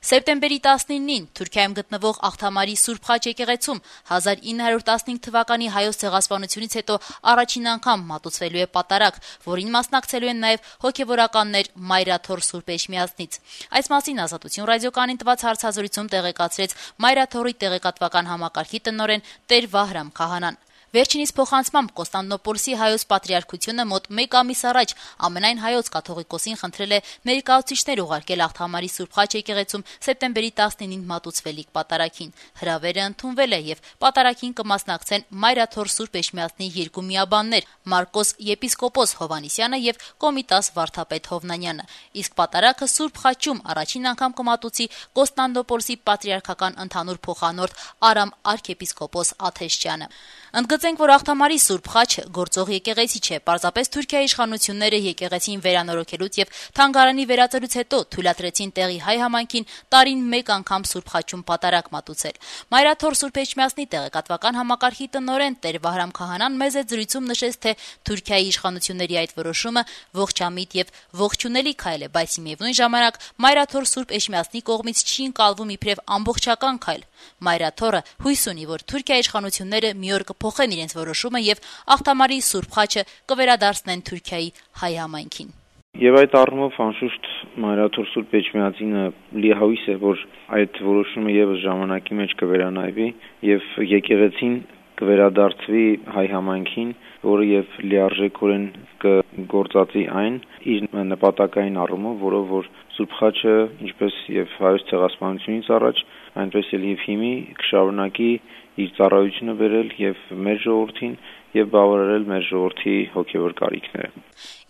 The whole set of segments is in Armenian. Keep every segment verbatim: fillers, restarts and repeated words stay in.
Սեպտեմբերի տասնինին Թուրքիայում գտնվող Աղթամարի Սուրբ Խաչ եկեղեցում հազար ինը հարյուր տասնհինգ թվականի հայոց ցեղասպանությունից հետո առաջին անգամ մատուցվելու է պատարագ, որին մասնակցելու են նաև հոգևորականներ Մայրաթոր Սուրբ Էջմիածնից։ Այս մասին Ազատություն ռադիոկայանին տված հարցազրույցում տեղեկացրեց Մայրաթորի տեղեկատվական համակարգի տնօրեն Տեր Վահրամ Քահանան։ Վերջինիս փոխանցմամբ Կոստանդնոպոլսի հայոց պատրիարքությունը մոտ մեկ ամիս առաջ ամենայն հայոց կաթողիկոսին խնդրել է ներկայացուցիչներ ուղարկել Աղթամարի Սուրբ Խաչ եկեղեցում սեպտեմբերի տասնինին մատուցվելիք պատարագին։ Հրավերը ընդունվել է եւ պատարագին կմասնակցեն Մայրաթոր Սուրբ Էջմիածնի երկու միաբաններ՝ Մարկոս եպիսկոպոս Հովանիսյանը եւ Կոմիտաս վարդապետ Հովնանյանը։ Իսկ պատարագը Սուրբ Խաչում առաջին անգամ կմատուցի Կոստանդնոպոլսի պատրիարքական ընդհանուր փոխանորդ Արամ արքեպիսկոպոս Աթեշյանը։ Ընդգծենք, որ Աղթամարի Սուրբ Խաչը գործող եկեղեցի չէ, պարզապես Թուրքիայի իշխանությունները եկեղեցին վերանորոգելուց եւ թանգարանի վերածելուց հետո թույլատրեցին տեղի հայ համայնքին տարին մեկ անգամ Սուրբ Խաչում պատարագ մատուցել։ Մայրաթոր Սուրբ Էջմիածնի տեղեկատվական համակարգի տնօրեն Տեր Վահրամ Քահանան մեծ զրույցում նշեց, թե Թուրքիայի իշխանությունների այդ որոշումը ողջամիտ եւ ողջունելի քայլ է, բայց միևնույն ժամանակ Մայրաթոր Սուրբ Էջմիածնի կողմից չի ընկալվում իբրև ամբողջական քայլ։ Մայրաթորը հույս ունի, որ Թուրքիայի իշխանությունները մի օր փոխեն իրենց որոշումը եւ Աղթամարի Սուրբ Խաչը կվերադարձնեն Թուրքիայի հայ համայնքին։ Եվ այդ առումով անշուշտ Մայրաթոր Սուրբ Էջմիածինը լիահույս է, որ այդ որոշումը եւս ժամանակի մեջ կվերանայվի եւ եկեղեցին կվերադարձվի հայ համայնքին, որը եւ լիարժեքորեն կգործածի այն իր նպատակային առումով, որով որ Սուրբ Խաչը, ինչպես եւ հայոց ցեղասպանությունից առաջ, այնպես էլ եւ հիմի կշարունակի իր ծառայությունը բերել եւ մեր ժողովրդին եւ բավարարել մեր ժողովրդի հոգեվոր կարիքները։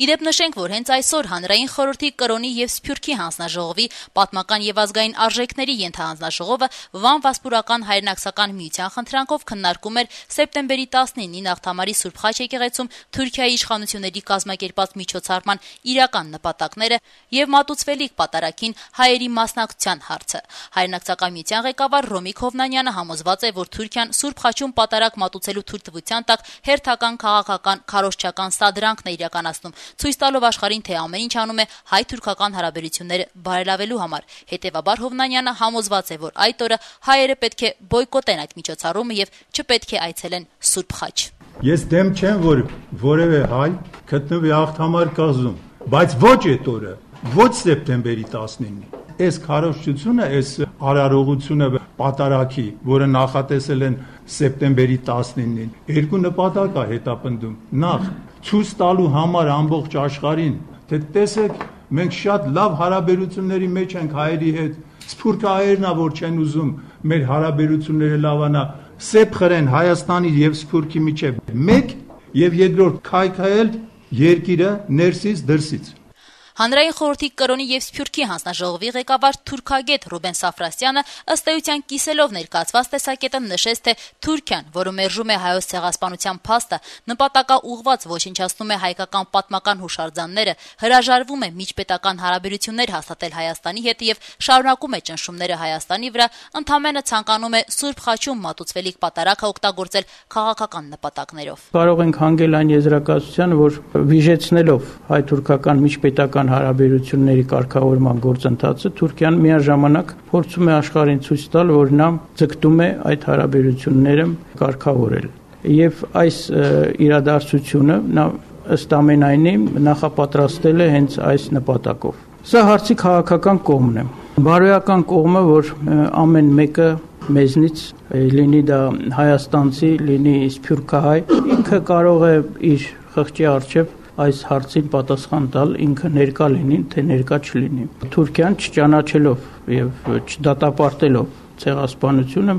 Իդեպ նշենք, որ հենց այսօր Հանրային խորհրդի կրոնի եւ Սփյուռքի հանձնաժողովի պատմական եւ ազգային արժեքների ենթահանձնաժողովը Վան Վասպուրական հայրենակցական միության խնդրանքով քննարկում էր սեպտեմբերի տասնինին Աղթամարի Սուրբ Խաչ եկեղեցում Թուրքիայի իշխանությունների կազմակերպած միջոցառման իրական նպատակները եւ մատուցվելիք պատարագին հայերի մասնակցության հարցը։ Հայրենակցական միության ղեկավար Ռոմիկ Հովնանյանը համոզված է, որ Թուրքիան Սուրբ Խաչում պատարագ մատուցելու թույլտվության տակ հերթական քաղաքական քարոզչական սադրանքն է իրականացնում, ցույց տալով աշխարհին, թե ամեն ինչ անում է հայ-թուրքական հարաբերությունները բարելավելու համար։ Հետևաբար Հովնանյանը համոզված է, որ այդ օրը հայերը պետք է բոյկոտեն այդ միջոցառումը եւ չպետք է այցելեն Սուրբ Խաչ։ Ես դեմ չեմ, որ որևէ հայ գտնվի Աղթամար կազում, բայց ոչ այդ օրը, ոչ սեպտեմբերի տասնինին։ Այս քարոզչությունը, այս արարողությունը պատարագի, որը նախատեսել են սեպտեմբերի տասնինին, երկու նպատակ է հետապնդում։ Նախ ցույց տալու համար ամբողջ աշխարհին, թե տեսեք, մենք շատ լավ հարաբերությունների մեջ ենք հայերի հետ։ Սփյուռքը հայերն է, որ չեն ուզում մեր հարաբերությունները լավանա, սեպ խրեն Հայաստանի եւ Սփյուռքի միջեւ։ Մեկ եւ երկրորդ քայքայել երկիրը ներսից դրսից։ Հանրային խորհրդի կրոնի եւ Սփյուռքի հանձնաժողովի ղեկավար թուրքագետ Ռուբեն Սաֆրասյանը ըստ էության կիսելով ներկայացված տեսակետը նշեց, թե Թուրքիան, որը մերժում է հայոց ցեղասպանության փաստը, նպատակաուղղված ոչնչացնում է հայկական պատմական հուշարձանները, հրաժարվում է միջպետական հարաբերություններ հաստատել Հայաստանի հետ եւ շարունակում է ճնշումները Հայաստանի վրա, ընդամենը ցանկանում է Սուրբ Խաչում մատուցվելիք պատարագը օգտագործել քաղաքական նպատակներով։ Կարող ենք հանգել այն եզրակացությանը, որ վիժեցնելով հայ-թուրքական միջպետական հարաբերությունների կարգավորման գործընթացը Թուրքիան միաժամանակ փորձում է աշխարհին ցույց տալ, որ նա ձգտում է այդ հարաբերությունները կարգավորել։ Եվ այս իրադարձությունը նա ըստ ամենայնի նախապատրաստել է հենց այս նպատակով։ Սա հարցի քաղաքական կողմն է։ Բարոյական կողմը, որ ամեն մեկը մեզնից, լինի դա հայաստանցի, լինի սփյուռքահայ, ինքը կարող է իր խղճի առջև այս հարցին պատասխան տալ, ինքը ներկա լինի, թե ներկա չլինի։ Թուրքիան չճանաչելով եւ չդատապարտելով ցեղասպանությունը,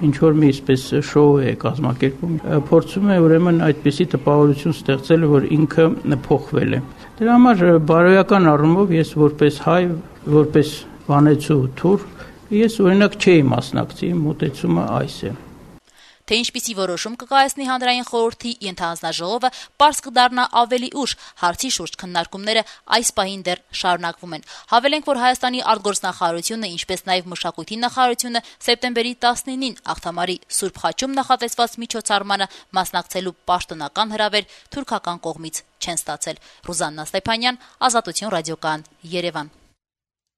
ինչ որ մի այսպես շոու է կազմակերպում, փորձում է ուրեմն այդպիսի տպավորություն ստեղծել, որ ինքը փոխվել է։ Դրա համար բարոյական առումով ես որպես հայ, որպես վանեցու թուր, ես օրինակ չէի մասնակցի, մոտեցումը այս է։ Թե ինչպիսի որոշում կկայացնի Հանրային խորհրդի ենթահանձնաժողովը, պարզ կդառնա ավելի ուշ, հարցի շուրջ քննարկումները այս պահին դեռ շարունակվում են։ Հավելենք, որ Հայաստանի արտգործնախարարությունը, ինչպես նաև Մշակույթի նախարարությունը սեպտեմբերի տասնինին Աղթամարի Սուրբ Խաչում նախատեսված միջոցառմանը մասնակցելու պաշտոնական հրավեր թուրքական կողմից չեն ստացել։ Ռուզաննա Ստեփանյան, Ազատություն ռադիոկայան, Երևան։